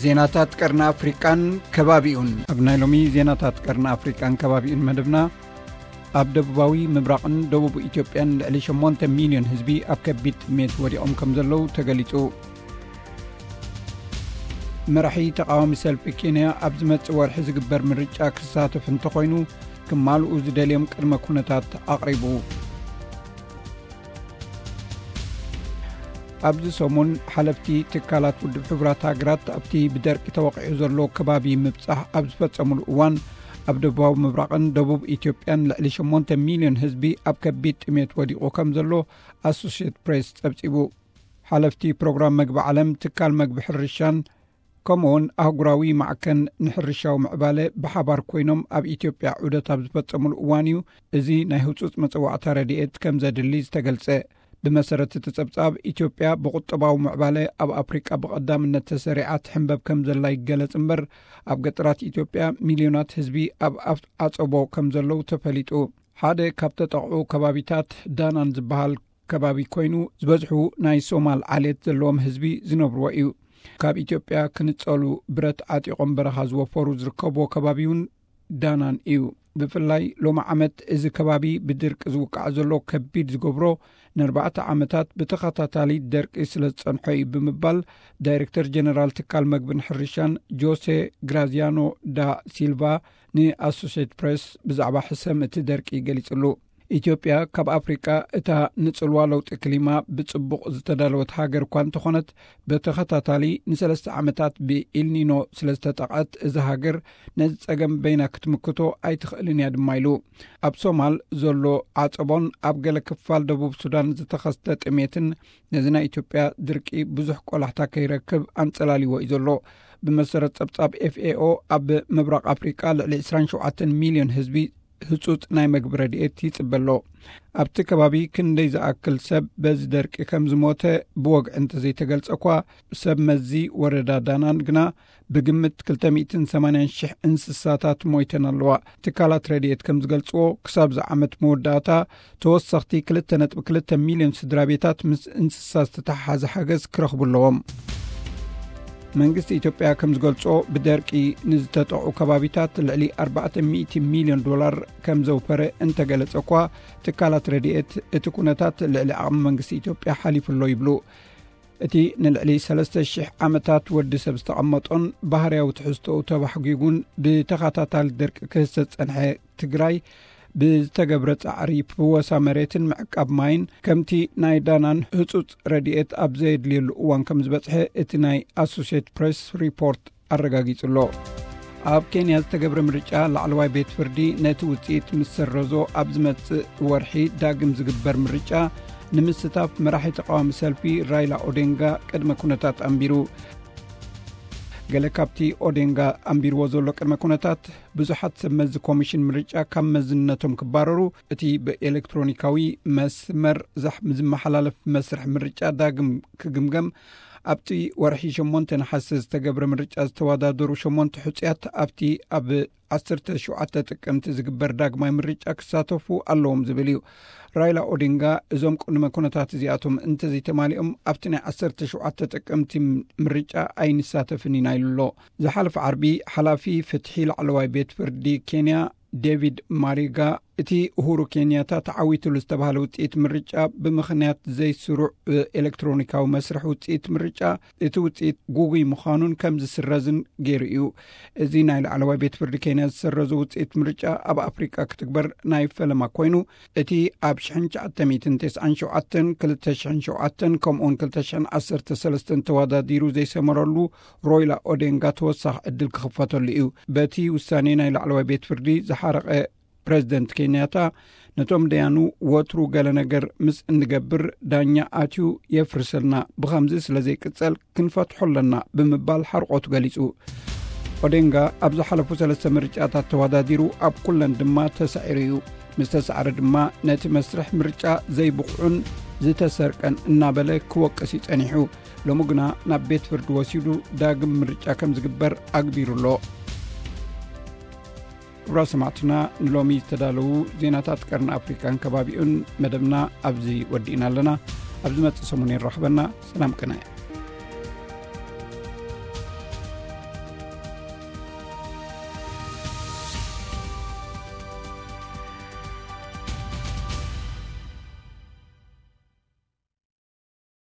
ዜናታት ቀርኒ ኣፍሪቃን ከባቢኡን። ኣብ ናይ ሎሚ ዜናታት ቀርኒ ኣፍሪቃን ከባቢኡን መደብና፣ ኣብ ደቡባዊ ምብራቕን ደቡብ ኢትዮጵያን ልዕሊ ሸሞንተ ሚልዮን ህዝቢ ኣብ ከቢድ ጥሜት ወዲቖም ከም ዘለዉ ተገሊጹ። መራሒ ተቓዋሚ ሰልፊ ኬንያ ኣብ ዝመጽእ ወርሒ ዝግበር ምርጫ ክሳተፍ እንተኾይኑ፣ ክማልኡ ዝደልዮም ቅድመ ኩነታት ኣቕሪቡ። ኣብዚ ሰሙን፣ ሓለፍቲ ትካላት ውድብ ሕቡራት ሃገራት ኣብቲ ብደርቂ ተወቒዑ ዘሎ ከባቢ ምብጻሕ ኣብ ዝፈጸሙሉ እዋን፣ ኣብ ደቡባዊ ምብራቕን ደቡብ ኢትዮጵያን ልዕሊ ሸሞንተ ሚልዮን ህዝቢ ኣብ ከቢድ ጥሜት ወዲቑ ከም ዘሎ ኣሶሽየትድ ፕሬስ ጸብጺቡ። ሓለፍቲ ፕሮግራም መግቢ ዓለም፣ ትካል መግቢ ሕርሻን ከምኡውን ኣህጉራዊ ማዕከን ንሕርሻዊ ምዕባለ ብሓባር ኮይኖም ኣብ ኢትዮጵያ ዑደት ኣብ ዝፈጸሙሉ እዋን እዩ እዚ ናይ ህጹጽ መጸዋዕታ ረድኤት ከም ዘድሊ ዝተገልጸ። ብመሰረት እቲ ጸብጻብ፣ ኢትዮጵያ ብቁጠባዊ ምዕባለ ኣብ ኣፍሪቃ ብቐዳምነት ተሰሪዓ ትሕንበብ ከም ዘላ ይገለጽ እምበር፣ ኣብ ገጠራት ኢትዮጵያ ሚልዮናት ህዝቢ ኣብ ኣፍ-፣ ዓጸቦ ከም ዘለዉ ተፈሊጡ። ሓደ ካብ ተጠቕዑ ከባቢታት ዳናን ዝበሃል ከባቢ ኮይኑ፣ ዝበዝሑ ናይ ሶማል ዓሌት ዘለዎም ህዝቢ ዝነብርዎ እዩ። ካብ ኢትዮጵያ ክንጸሉ ብረት ዓጢቖም በረኻ ዝወፈሩ ዝርከብዎ ከባቢ እውን ዳናን እዩ። ብፍላይ ሎሚ ዓመት እዚ ከባቢ ብድርቂ ዝውቃዕ ዘሎ ከቢድ ዝገብሮ፣ ንኣርባዕተ ዓመታት ብተኸታታሊ ደርቂ ስለ ዝጸንሖ እዩ ብምባል፣ ዳይሬክተር ጀነራል ትካል መግብን ሕርሻን ጆሴ ግራዚያኖ ዳ ሲልቫ ንኣሶሴትድ ፕሬስ ብዛዕባ ሕሰም እቲ ደርቂ ገሊጽሉ። ኢትዮጵያ ካብ ኣፍሪቃ እታ ንጽልዋ ለውጢ ክሊማ ብጽቡቕ ዝተዳለወት ሃገር እኳ እንተኾነት፣ ብተኸታታሊ ንሰለስተ ዓመታት ብኢልኒኖ ስለ ዝተጠቕዐት፣ እዛ ሃገር ነዚ ጸገም በይና ክትምክቶ ኣይትኽእልን እያ ድማ ኢሉ። ኣብ ሶማል ዘሎ ዓጸቦን ኣብ ገለ ክፋል ደቡብ ሱዳን ዝተኸስተ ጥሜትን ነዚ ናይ ኢትዮጵያ ድርቂ ብዙሕ ቆላሕታ ከይረክብ ኣንጸላልይዎ እዩ ዘሎ። ብመሰረት ጸብጻብ ኤፍ ኤ ኦ፣ ኣብ ምብራቕ ኣፍሪቃ ልዕሊ ዕስራን ሸውዓተን ሚልዮን ህዝቢ ህጹጽ ናይ መግቢ ረድኤት ይጽበ ኣሎ። ኣብቲ ከባቢ ክንደይ ዝኣክል ሰብ በዚ ደርቂ ከም ዝሞተ ብወግዒ እንተዘይተገልጸ እኳ፣ ሰብ መዚ ወረዳ ዳናን ግና ብግምት ክልተ ሚእትን ሰማንያን ሽሕ እንስሳታት ሞይተን ኣለዋ። ትካላት ረድኤት ከም ዝገልጽዎ፣ ክሳብ እዚ ዓመት መወዳእታ ተወሰኽቲ ክልተ ነጥቢ ክልተ ሚልዮን ስድራ ቤታት ምስ እንስሳ ዝተተሓሓዘ ሓገዝ ክረኽቡ ኣለዎም። መንግስቲ ኢትዮጵያ ከም ዝገልጾ፣ ብደርቂ ንዝተጠቕዑ ከባቢታት ልዕሊ ኣርባዕተ ሚእቲ ሚልዮን ዶላር ከም ዘውፈረ እንተገለጸ እኳ፣ ትካላት ረድኤት እቲ ኩነታት ልዕሊ ዓቕሚ መንግስቲ ኢትዮጵያ ሓሊፉ ኣሎ ይብሉ። እቲ ንልዕሊ ሰለስተ ሽሕ ዓመታት ወዲ ሰብ ዝተቐመጦን ባህርያዊ ትሕዝቶኡ ተባሕጒጉን ብተኸታታሊ ደርቂ ክህሰ ዝጸንሐ ትግራይ፣ ብዝተገብረ ጻዕሪ ፍወሳ መሬትን ምዕቃብ ማይን፣ ከምቲ ናይ ዳናን ህጹጽ ረድኤት ኣብ ዘየድልየሉ እዋን ከም ዝበጽሐ እቲ ናይ ኣሶሴትድ ፕሬስ ሪፖርት ኣረጋጊጹ ኣሎ። ኣብ ኬንያ ዝተገብረ ምርጫ፣ ላዕለዋይ ቤት ፍርዲ ነቲ ውጽኢት ምስ ሰረዞ፣ ኣብ ዝመጽእ ወርሒ ዳግም ዝግበር ምርጫ ንምስታፍ መራሒ ተቃዋሚ ሰልፊ ራይላ ኦዴንጋ ቅድመ ኩነታት ኣንቢሩ። ገለ ካብቲ ኦዴንጋ ኣንቢርዎ ዘሎ ቅድመ ኩነታት፣ ብዙሓት ሰብ መዚ ኮሚሽን ምርጫ ካብ መዝነቶም ክባረሩ፣ እቲ ብኤሌክትሮኒካዊ መስመር ዛሕ-፣ ዝመሓላለፍ መስርሕ ምርጫ ዳግም ክግምገም፣ ኣብቲ ወርሒ ሸሞንተ ነሓሰ ዝተገብረ ምርጫ ዝተወዳደሩ ሸሞንተ ሕጹያት ኣብቲ ኣብ ዓሰርተ ሸውዓተ ጥቅምቲ ዝግበር ዳግማይ ምርጫ ክሳተፉ ኣለዎም ዝብል እዩ። ራይላ ኦዲንጋ፣ እዞም ቅድመ ኩነታት እዚኣቶም እንተዘይተማሊኦም፣ ኣብቲ ናይ ዓሰርተ ሸውዓተ ጥቅምቲ ምርጫ ኣይንሳተፍን ኢና ኢሉ ኣሎ። ዝሓለፈ ዓርቢ፣ ሓላፊ ፍትሒ ላዕለዋይ ቤት ፍርዲ ኬንያ ዴቪድ ማሪጋ፣ እቲ ኡሁሩ ኬንያታ ተዓዊትሉ ዝተባህለ ውጽኢት ምርጫ፣ ብምኽንያት ዘይስሩዕ ኤሌክትሮኒካዊ መስርሕ ውጽኢት ምርጫ፣ እቲ ውጽኢት ጉጉይ ምዃኑን ከም ዝስረዝን ገይሩ እዩ። እዚ ናይ ላዕለዋይ ቤት ፍርዲ ኬንያ ዝሰረዞ ውጽኢት ምርጫ፣ ኣብ ኣፍሪቃ ክትግበር ናይ ፈለማ ኮይኑ፣ እቲ ኣብ ሽሕን ትሽዓተ ሚእትን ተስዓን ሸውዓተን፣ ክልተ ሽሕን ሸውዓተን፣ ከምኡውን ክልተ ሽሕን ዓሰርተ ሰለስተን ተወዳዲሩ ዘይሰመረሉ ሮይላ ኦዴንጋ ተወሳኺ ዕድል ክኽፈተሉ እዩ። በቲ ውሳኔ ናይ ላዕለዋይ ቤት ፍርዲ ዝሓረቐ ፕረዚደንት ኬንያታ፣ ነቶም ደያኑ ወትሩ ገለ ነገር ምስ እንገብር፣ ዳኛ ኣትዩ የፍርሰልና፣ ብኸምዚ ስለ ዘይቅጸል ክንፈትሖ ኣለና ብምባል ሓርቆቱ ገሊጹ። ኦዴንጋ ኣብ ዝሓለፉ ሰለስተ ምርጫታት ተወዳዲሩ፣ ኣብ ኩለን ድማ ተሳዒሩ እዩ። ምስ ተሳዕረ ድማ፣ ነቲ መስርሕ ምርጫ ዘይብቑዕን ዝተሰርቀን እናበለ ክወቅስ እዩ ጸኒሑ። ሎሚ ግና ናብ ቤት ፍርዲ ወሲዱ ዳግም ምርጫ ከም ዝግበር ኣግቢሩ ኣሎ። ክቡራት ሰማዕትና፣ ንሎሚ ዝተዳለዉ ዜናታት ቀርኒ ኣፍሪቃን ከባቢኡን መደብና ኣብዚ ወዲእና ኣለና። ኣብ ዝመጽእ ሰሙን የራኽበና። ሰላም ቅነ።